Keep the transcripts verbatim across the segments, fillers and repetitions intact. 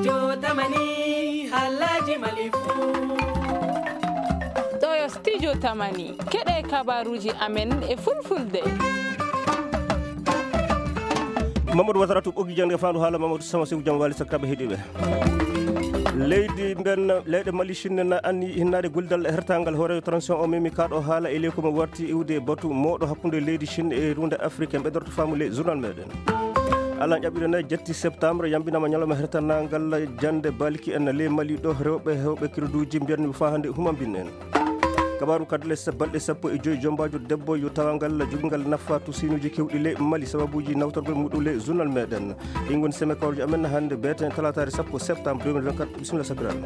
Jotamani, Alhaji Malifu. Ɗo yo Studio Tamani. Keɗe kabaruji amen e fulfulde. Mamadou Watara to ɓoggi jannde fandu haala Mamadou Sama Sew jam wali sakraɓe heɗiɓe. Leydi mben leyɗe Mali Chine na anni hinnaade gollidal e hertangal hooreejo transition o memi kaɗo haala e leydi ko mo warti iwde batu mawɗo hakkunde leydi Chine e runde Afrique en ɓedorto faamu ley journal meɗen. Alan ƴaɓɓiɗo nayi jetti septembre yambinama ñalawma hertanangal jannde balki en ley Mali ɗo rewɓe hewɓe kirduji mbiyatmi faa hannde humambin en. Kabaru kadi les balɗe sappo e joyi jombaajo debbo yo tawangal jogingal nafa tusinuji kewɗi ley Mali sababuji nawtorgol muɗum ley journal meɗen. Ɗin ngoni seme kawruji amen hannde beeten talataare sappo septembre deux mille vingt-quatre. Bisimilla sakiraaɓe.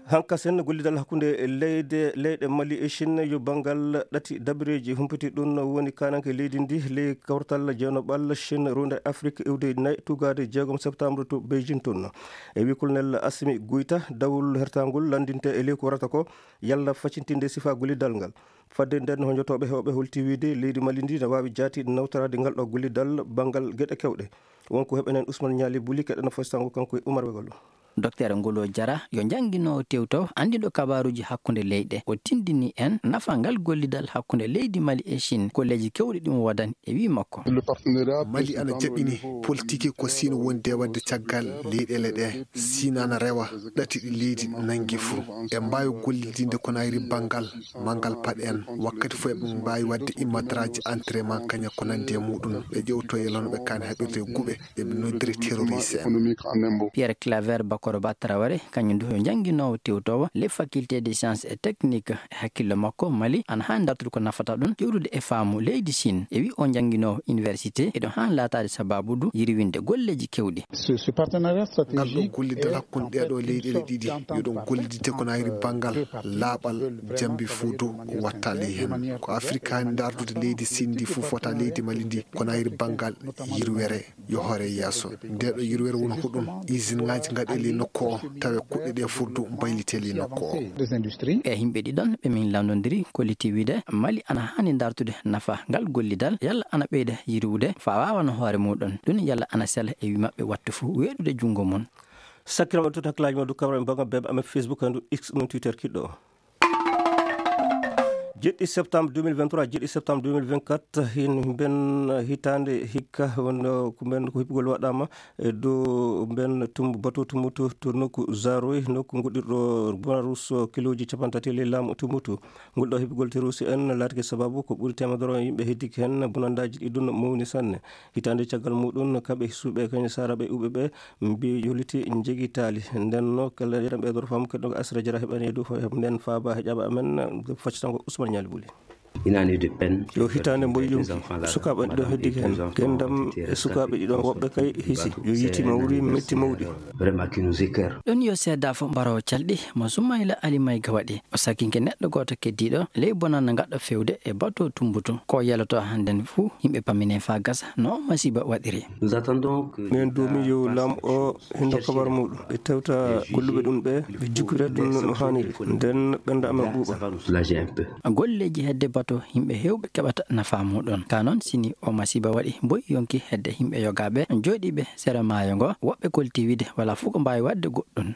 Hankasen gollidal hakkunde leyde leyɗe Mali e Chine yo banngal ɗati dabireeji humpiti ɗum woni kananke leydi ndi ley kawtal jeynoɓal Chine runde Afrique iwde nayi tugaade jeegom septembre to Beijing toon. E wi Colonel Assimi Goïta, dawol hertangol lanndinte e ley ko warata ko yalla facintinde sifa gollidal ngal. Fadde nden, honjotooɓe heewɓe holti wiide leydi Mali ndi na waawi jaati nawtoraade ngal ɗo gollidal banngal geɗe kewɗe. Wonko heɓenen Ousmane Niali Buli, keɗen fastango kanko e Oumar Wegolo. Docteur Ngolo Jara, yo jannginoowo tewtowo, anndiɗo kabaruuji hakkunde leyɗe. O tindini en nafa ngal gollidal hakkunde leydi Mali e Chine, golleeji kewɗi ɗum woodani. E wii makko, Mali ana jaɓɓini politiki ko Sino woni de waɗde caggal leyɗeele ɗe. Sino ana rewa ɗati ɗi leydi nangi fuu. E mbaawi gollidinde ko nayri banngal, manngal paɗ en. Wakkati fof eɓe mbaawi waɗde imadraji entraînement kaña ko nandi e muɗum. Ɓe ƴewto e lono ɓe kaani haɓirde e guɓe. Eɓe noddiri terroriste en. Pierre Claver Bakoro Ba Traoré, kañum du ko jannginoowo tewtoowo les facultés de sciences et techniques. E hakkillo makko, Mali ana haani dartude ko nafata ɗum, ƴewtude e faamu leydi Chine. E wi o jannginoowo université, eɗo haani laataade sababu du yirwinde golleeji kewɗi. Ngal ɗo gollidal hakkunde ɗee ɗoo leyɗeele ɗiɗi, yo ɗum gollidde ko nayri banngal laaɓal, jambi fuu du watta ley heen. Ko Afirka haani dartude leydi Chine ndi fof wata leydi Mali ndi, ko nayri banngal yirwere. Yo hoore yeeso. Nde ɗo yirwere woni ko ɗum. Usine ŋaaji ngaɗe ley nokku o, tawe kuɗɗe ɗe fuu du mbaylite ley nokku o. E yimɓe ɗiɗon ɓe min lanndondiri kolliti wiide Mali ana haani dartude nafa ngal gollidal, yalla ana ɓeyda yirwude faa waawano hoore muɗum. Ɗum yalla ana sela e wi maɓɓe wattu fuu weeɗude junngo mum. Sakkiraɓe, totta hakkilaaji mon du kamra e banngal beeɓe amen Facebook, handu X, mum Twitter kiɗɗo o. Jeɗɗi septembre deux mille vingt-trois, jeɗɗi septembre deux mille vingt-quatre, hin mben hitaande hikka wonno ko mben ko hippugol waɗaama e dow mben tum-, bateau Tumbutu to nokku Zaroy, nokku goɗɗirɗo Bonarus kilooji capanɗe tati ley laamu Tumbutu. Ngol ɗo hippugol terusi en laatike sababu ko ɓuri teemedere yimɓe heddike heen, bonandaaji ɗi ɗum mawni sanne. Hitaande caggal muɗum, kamɓe suuɓe kañum saaraɓe uɓe ɓe mbi yoliti jegitaali. Nden no kala yeɗam ɓeydoro fam keɗɗo asra jara heɓani e dow fo nden faaba heƴaɓe amen. Faccatango Ousmane Ñaali Buli. Une année de peine. Yo hitaande mboy yonki. Sukaaɓe ɗo heddi heen. Gendam e sukaaɓe ɗiɗon woɓɓe kay hisi. Yo yiiti mawri metti mawɗi. Vraiment qui nous écœure. Ɗon yo seedaa fof mbarowo calɗi mo Soumaïla Ali Maïga waɗi. O sakinke neɗɗo gooto keddiiɗo ley bonannde ngaɗɗo fewde e bateau Tumbutu. Ko yeloto hannden fuu, yimɓe pammine faa gasa no o masiiba waɗiri. Nous attendons que Min duumi yo laam o hinno kabar muɗum. Ɓe tewta golluɓe ɗum ɓe, ɓe jukkira ɗum no haaniri. Nden ɓernde amen ɓuuɓa. Golleeji hedde bateau yimɓe heewɓe keɓata nafa muɗum. Ka noon, sini o masiiba waɗi boy yonki hedde yimɓe yogaaɓe jooɗiiɓe sera maayo ngo, woɓɓe kolti wiide wala fof ko mbaawi waɗde goɗɗum.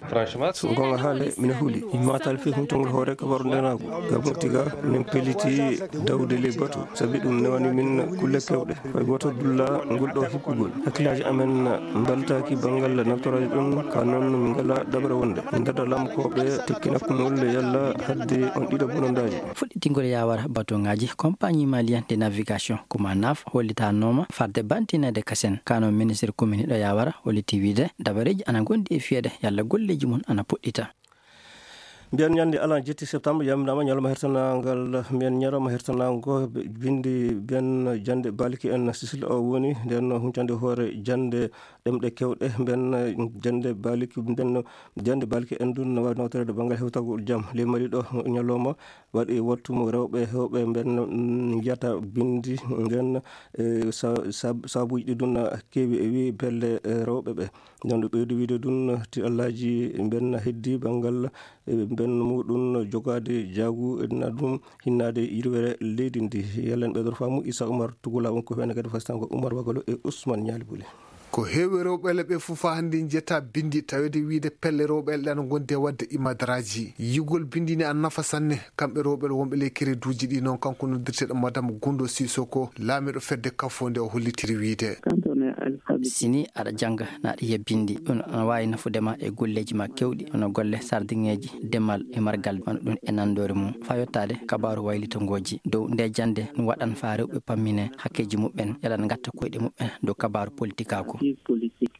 So goonga haale, mina huli. Mi matal fii huntongol hoore kabaru ndenaagu. Gabon tiga, min peliti dawde ley batu, sabi ɗum newani min kulle kewɗe. Fay gooto dulla ngol ɗo hippugol. Hakkillaaji amen mbaltaaki banngal naftoraaji ɗum, ka noon min ngala daɓre wonde. Min ndada lamkooɓe tekkina kumol yalla hadde on ɗiɗo bonandaaji. Fuɗɗitingol yaawara batuŋaaji, compagnie malienne de navigation, Comanaf, hollitanooma farde bantineede kasen. Ka noon ministre commune ɗo yaawara holliti wiide dabareeji ana ngondi e fiyeede yalla golleeji mum ana puɗɗita. Mbiyen ñande alan jetti septembre yamdama ñalawma hertanangal, mbiyen ñalawma hertanango bindi mbiyen jande balki en Sicile o woni nden huncande hoore jande ɗemɗe kewɗe mbiyen jande balki mbiyen jande balki en ɗum no wawi nawtorede banngal hewtagol jam ley Mali ɗo. Ñalawma waɗi wattu mo rewɓe hewɓe mbiyen njiyata bindi ngen e sa- sab- sabuji ɗi ɗum keewi e wi pelle rewɓe ɓe. Nden ɗo ɓeydi wiide ɗum tiɗallaaji mben heddi banngal, e, mben muɗum jogaade jaagu, e, na ɗum hinnaade yirwere leydi ndi. Yalla en ɓeydoro faamu Issa Oumar Tugula, won ko heen kadi fastango Oumar Wagalo e Ousmane Ñaali Buli. Ko heewi rewɓe ɓe fof haa hannde njiyata binndi, taweede wiyde pelle rewɓe ɓe ana ngondi e waɗde imadaraaji. Yiyugol binndi ne ana nafa sanne, kamɓe rewɓe wonɓe ley kereduuji ɗi. Noon kanko noddirteeɗo Madame Gundo Sissoko, laamiiɗo fedde Kafo nde, o hollitiri wiyde. Si nii aɗa jannga, na aɗa yiya binndi, ɗum ana waawi nafude ma e golleeji ma keewɗi, hono golle sardiŋeeji, demal e margal, wano ɗum e nanndoore mum, faa yottaade kabaaru waylitangooji. Dow nde jannde, ɗum waɗan faa rewɓe pammine hakkeeji muɓɓen, yalla ngatta koyɗe muɓɓen dow kabaaru politikaaku.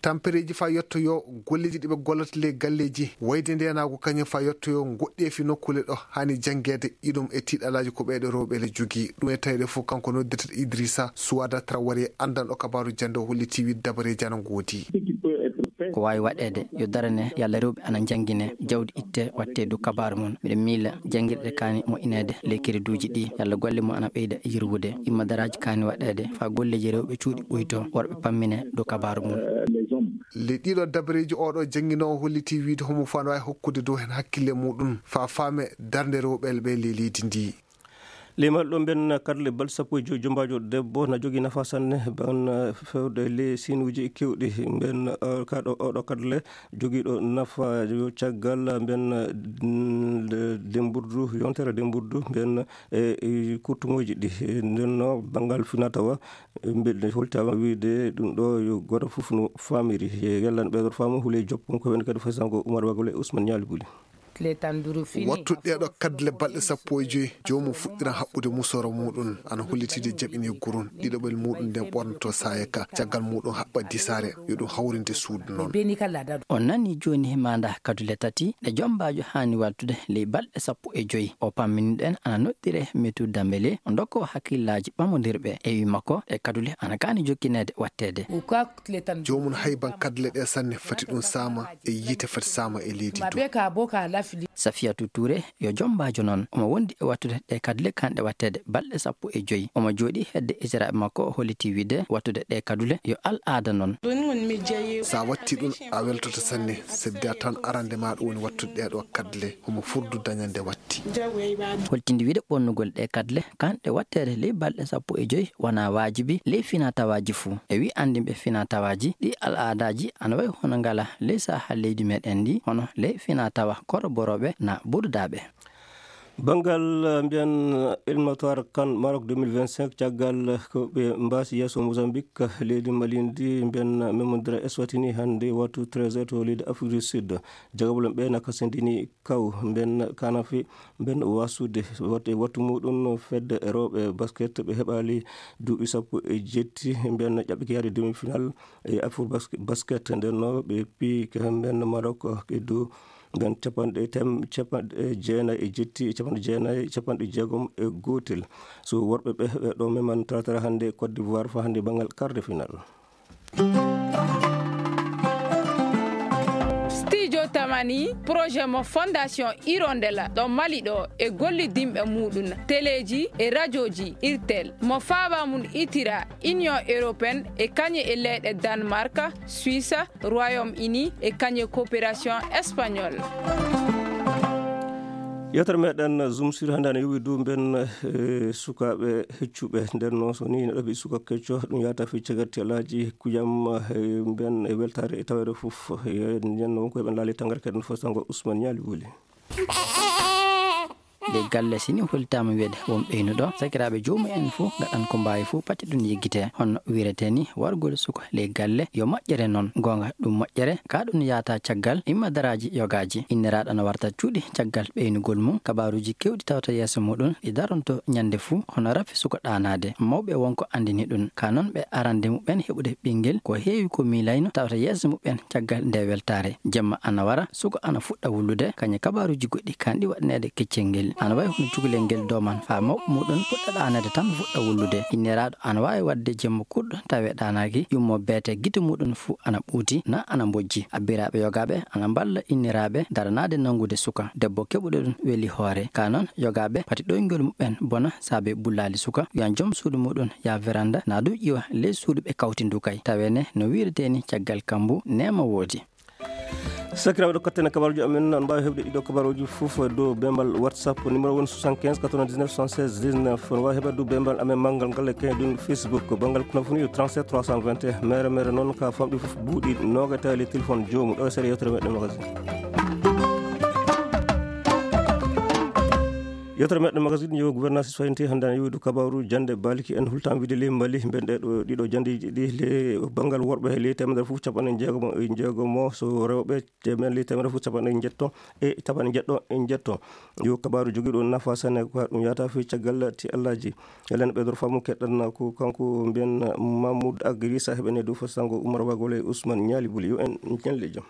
Tampereeji faa yottoyoo golleeji ɗi ɓe gollata ley galleeji, wayde ndeenaagu kañum faa yottoyoo ngoɗɗeefi nokkuule ɗo haani janngeede, iɗum e tiiɗalaaji ko ɓeeɗo rewɓe le jogii. Ɗum e taweede fof kanko noddirteeɗo Idrissa Suwada Traoré, anndanɗo kabaaru jannde, o holliti wiyde dabareeji ana ngoodi. Ko waawi waɗeede yo darane yalla rewɓe ana njanngine, jawdi itte waɗte dow kabaaru mum. Miɗo miila janngirɗe kaani moƴƴineede ley kereduuji ɗi, yalla golle mum ana ɓeyda yirwude. Imadaraaji kaani waɗeede faa golleeji rewɓe cuuɗi ɓuytoo, worɓe pammine dow kabaaru mum. Ley ɗiɗo dabareeji, oɗo jannginoowo holliti wiyde homo faa no waawi hokkude dow heen hakkille muɗum faa faame darnde rewɓe ɓe ley leydi ndi. Limal ɗo mben kadle balɗe sappo e joy, jombaajo debbo na jogii nafa sanne, mben fewde ley siinuuji keewɗi. Mben kaɗo oɗo kadle jogiiɗo nafa yo caggal mben, mm, de-, demburdu, yontere demburdu mben e, e kurtuŋooji ɗi. Nden no banngal finatawa, mben holtaama wiyde ɗum ɗo yo gooto fof no faamiri. E yallan ɓeeɗo faamu hule joppum ko wen kadi fasango Umar Bagole Ousmane Ñaali Buli. Wattude ɗeeɗo kadle balɗe sappo e joy, joomum fuɗɗiran haɓɓude musooro muɗum, ana hollitide jaɓini gurun, ɗiɗoɓel muɗum nden ɓornoto saaya ka, caggal muɗum haɓɓa disaare, yo ɗum hawrinde suudu noon. On nani jooni maanda kadule tati ɗe jombaajo haani wattude ley balɗe sappo e joy. O pammini ɗen ana noddire Metu Dambele, o ndokko hakkillaaji ɓamondirɓe. E wi makko, ɗe kadule ana kaani jokkineede watteede. Joomum hayban kadle ɗe sanne, fati ɗum saama e yiite, fati saama e leydi du. Safiyatu Ture yo jombaajo noon, omo wondi e wattude ɗe kadle kanɗe watteede balɗe sappo e joy. Omo jooɗi hedde esiraaɓe makko, o holliti wiyde wattude ɗe kadule yo al aada noon. Sa watti ɗum a weltoto sanne, sabi da tan arande ma ɗum woni wattude ɗeɗo kadle, homo furdu dañande watti. Holtindi wiyde ɓornugol ɗe kadle kanɗe watteede ley balɗe sappo e joy wona waajibi ley finatawaaji fuu. E wi anndinɓe finatawaaji, ɗi al aadaaji ana wayi hono ngala ley saha leydi meɗen ndi, hono ley finatawa koroborooɓe na bududaaɓe. Banngal, eh, mbiyan, eh, éliminatoire CAN Maroc deux mille vingt-cinq, caggal, eh, ko ɓe mbaasi yeeso Mozambique, eh, leydi Mali ndi, mbiyan, eh, memondira Eswatini hannde wattu treize heures to leydi Afrique du Sud. Jagabol ɓe na kasindini kaw, mbiyan kanafi, mbiyan wasude, wat-, wattu muɗum fedde rewɓe basket ɓe heɓali duuɓi sappo e jetti, mbiyan ƴaɓɓike yaade demi-finale e Afro Bas-, Basket, nden no ɓe piyi ko mbiyan Maroc, eh, e dow Nden capanɗe tem-, capanɗe jeenayi e jetti, capanɗe jeenayi, capanɗe jeegom e gootel. So worɓe ɓe, ɓe ɗo meman taratara hannde Côte d'Ivoire fa hannde banngal quart de finale. Studio Tamani, projet mo Fondation Hirondella ɗo Mali ɗo e gollidinɓe muɗum, teleeji e rajooji Irtel, mo faaba mum itira Union Européenne e kañe e leyɗe Danemark, Suisse, Royaume-Uni e kañe coopération espagnole. Yewtere meɗen Zoom sur hannde ana yowi dow mben, eh, sukaaɓe heccuɓe. Nden noon so ni neɗɗo ɓe suka kecco, ɗum yahata fi cagatti alaaji kujam, eh, mben e weltaare e taweede fof. Eh, nden noon ko ɓen laali tangara kaden fof sango Ousmane Ñaali Wuli. Ley galle, si ni holtaama wiyde won ɓeynuɗo, sakiraaɓe joomum en fof ngaɗan ko mbaawi fof pati ɗum yeggite. Hono wiretee ni, wargol suka ley galle yo moƴƴere noon. Goonga, ɗum moƴƴere, ka ɗum yaata caggal immadaraaji yogaaji. Inniraaɗo no warta cuuɗi caggal ɓeynugol mum. Kabaaruuji keewɗi tawata yeeso muɗum ɗi daronto ñande fof, hono rafi suka ɗaanaade. Mawɓe won ko anndini ɗum. Ka noon ɓe arande muɓɓen heɓude ɓinngel, ko heewi ko miilayno tawata yeeso muɓɓen caggal nde weltaare. Jemma ana wara, suka ana fuɗɗa wullude, kañum kabaaruuji goɗɗi kanɗi waɗaneede keccel ngel. Ana wayi hono cukalel ngel dooman faa mawɓe muɗum fuɗɗa ɗaanaade tan fuɗɗa wullude. Inniraaɗo ana waawi waɗde jemma kurɗo tawe ɗaanaaki, yummo beete gite muɗum fuu ana ɓuuti, na ana mbojji. Abbiraaɓe yogaaɓe ana mballa inniraaɓe daranaade nanngude suka. Debbo keɓuɗo ɗum weli hoore. Ka noon yogaaɓe pati ɗoyngol muɓɓen bona saabe bullaali suka. Wiyan joom suudu muɗum yaa veranda, na du ƴiwa ley suudu ɓe kawti ndu kay. Tawene no wiiretee ni caggal kambu neema woodi. Sakiraaɓe, ɗo katten e kabaruuji amen, on mbaawi heɓde ɗiɗo kabaruuji fof e dow bembal WhatsApp, numéro woni soixante-quinze quatre-vingt-dix-neuf soixante-seize dix-neuf. On waawi heɓde dow bembal amen manngal ngal e kay ɗum Facebook, banngal kono fof ni trente-sept trois cent vingt et un. Mere mere noon ka famɗi fof buuɗi nooga tawi le téléphone joomum. Ɗo e seeɗa yewtere meɗen magazine. Yewtere meɗen magazine yo gouvernance soyante hannde ana yowiɗo kabaru jannde balki en hultan wiide le Mali, mben ɗe ɗo ɗiɗo janndeji ɗi le banngal worɓe le temedere fof capanɗe jeegomo e jeegomo, so rewɓe temen le temedere fof capanɗe jeetto e capanɗe jeetto e jeetto. Yo kabaru jogiiɗo nafa sanne ko ɗum yata fi caggal ti Allaji. Elen ɓeydor famu keɗɗan ko kanko mbiyen Mahmoud Agri sahib en e dow fo sango Umar Wagole Ousmane Ñaali Buli yo en ñelle jam.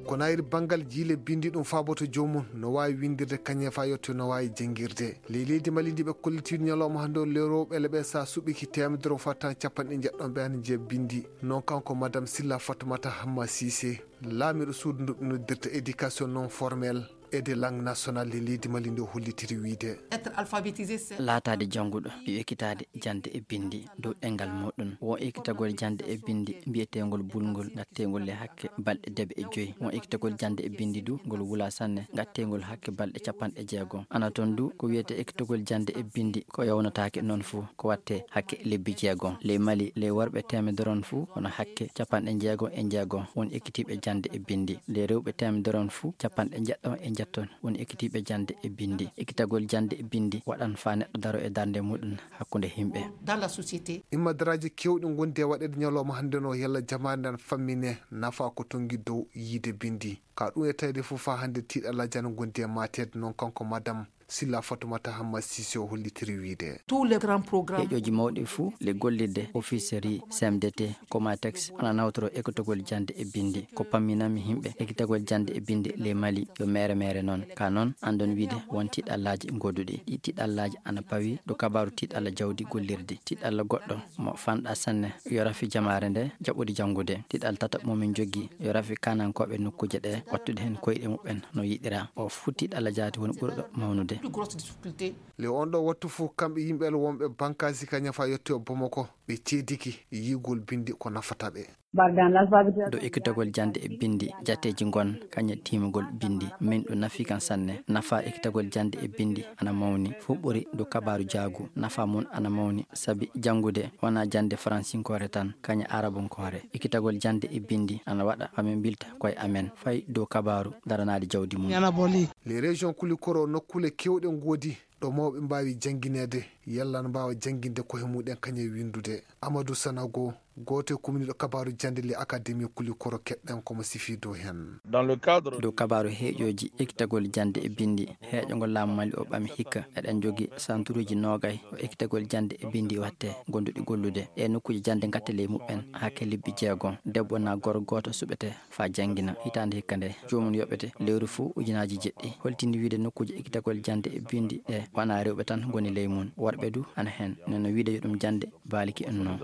Ko nayri banngal jiile binndi ɗum faaboto joomum no waawi winndirde kañe fa yetto no waawi janngirde. Ley leydi Mali ndi ɓe kollitiiɗo ñalawma hannde o le rewɓe le ɓe sa suɓiki temedere o fatan capanɗe jeetto ɓe ana jeya binndi. Noon kanko Madame Silla Fatoumata Hamma Cissé, laamiiɗo suudu ndu ɓe noddirta éducation non formelle et de langue nationale e leydi Mali ndi o hollitiri wiide. Être alphabétisé, c'est laataade jannguɗo, yo ekkitaade jannde e binndi dow ɗemngal muɗum. Won ekkitagol jannde e binndi mbiyeteengol bulngol, ngatteengol e hakke balɗe debe e joyi. Won ekkitagol jannde e binndi du, ngol wula sanne, ngatteengol hakke balɗe capanɗe jeegom. Ana toon du, ko wiyetee ekkitagol jannde e binndi, ko yawnataake noon fuu, ko waɗtee hakke lebbi jeegom. Ley Mali, ley worɓe teemedere on fuu, hono hakke capanɗe jeegom e jeegom won ekkitiiɓe jannde e binndi. Ley rewɓe teemedere on fuu, capanɗe jeetto e jeetto woni ekkitiiɓe jannde e binndi. Ekkitagol jannde e binndi waɗan faa neɗɗo daro e darnde muɗum hakkunde yimɓe. Dans la société. Immadaraaji keewɗi ngondi e waɗeede ñalawma hannde no yalla jamaare nden fammine nafa ko tongi dow yiide binndi. Ka ɗum e tawde fof faa hannde tiiɗalla jana ngondi e maateede noon kanko Madame Silla Fatoumata Hamma Cissé o hollitiri wiide. Tous les grands programmes. Heeƴooji mawɗi fuu le gollirde officerie C M D T, Comatex, ana nawtoro ekkitagol jannde e binndi. Ko pamminanmi yimɓe ekkitagol jannde e binndi le Mali yo mere mere noon. Ka noon, anndon wiide won tiiɗallaaji ngoduɗi. Ɗi tiiɗallaaji ana pawi dow kabaru tiiɗalla jawdi gollirdi. Tiiɗalla goɗɗo mo fanɗa sanne yo rafi jamaare nde jaɓude janngude. Tiiɗal tata mo min joggi yo rafi kanankooɓe nokkuuje ɗe wattude heen koyɗe muɓɓen no yiɗira. O fuu tiiɗalla jaati woni ɓurɗo mawnude. Plus grosse difficulté. Le on ɗo wattu fof kamɓe yimɓe wonɓe bankaasi ka ñafa yetto Bamako ɓe ceediki yiigol binndi ko nafata ɓe. Bargan alphabet. Dow ekkitagol jannde e binndi, jateeji ngon kañe tiimugol binndi. Min ɗum nafi kan sanne. Nafa ekkitagol jannde e binndi ana mawni. Fof ɓuri dow kabaru jaagu. Nafa mum ana mawni sabi janngude wona jannde faransinkoore tan, kañe arabunkoore. Ekkitagol jannde e binndi ana waɗa faa min mbilta koye amen fay dow kabaru daranaade jawdi mum. Yana boli. Les régions Kulikoro nokkuule keewɗe ngoodi ɗo mawɓe mbaawi janngineede, yalla na mbaawa jannginde koye muɗen kañe winndude. Amadou Sanago, gooto e kumniiɗo kabaru jannde le Académie Kulikoro keɗɗen komo sifi dow heen. Dans le cadre. Dow kabaru heeƴooji ekkitagol jannde e binndi, heeƴo ngo laamu Mali o ɓami hikka, eɗen jogi santuruuji noogay o ekkitagol jannde e binndi watte, gonduɗi gollude. Ɗe nokkuuje jannde ngatte ley muɓɓen hakke lebbi jeegom. Debbo na gorko gooto suɓete faa janngina. Hitaande hikka nde, joomum yoɓete lewru fuu ujunaaji jeɗɗi. Holtini wiide nokkuuje ekkitagol jannde e binndi ɗe wona rewɓe tan ngoni ley mum, worɓe du ana heen. Neno wiide yo ɗum jannde baaliki en noon.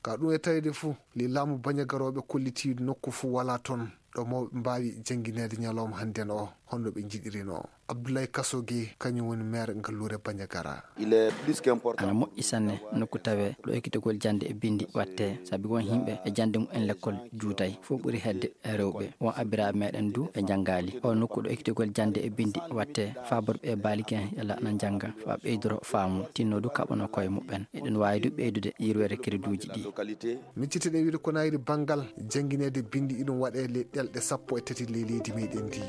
Ka ɗum e tawde fuu, le laamu bañagarooɓe kollitiiɗo nokku fuu walaa toon ɗo mawɓe mbaawi janngineede ñalawma hannden o, hono ɓe njiɗirino. Abdoulaye Kasoge, kañum woni maire ngalluure Bandiagara. Il est plus qu'important. Ana moƴƴi sanne nokku tawe ɗo ekkitagol jannde e binndi watte, sabi won yimɓe e jannde mumen lekkol juutay, fof ɓuri hedde e rewɓe. Won abbiraaɓe meɗen du ɓe njanngaali. O nokku ɗo ekkitagol jannde e binndi watte, faaborɓe e baaliki en yalla ana njannga, faa ɓeydoro faamu, tinno du kaɓano koye muɓɓen. Eɗen waawi du ɓeydude yirwere crédit uji ɗi. Miccitiɗen wiide ko nayri banngal janngineede binndi iɗum waɗee le ɗelɗe sappo e tati ley leydi meɗen ndi.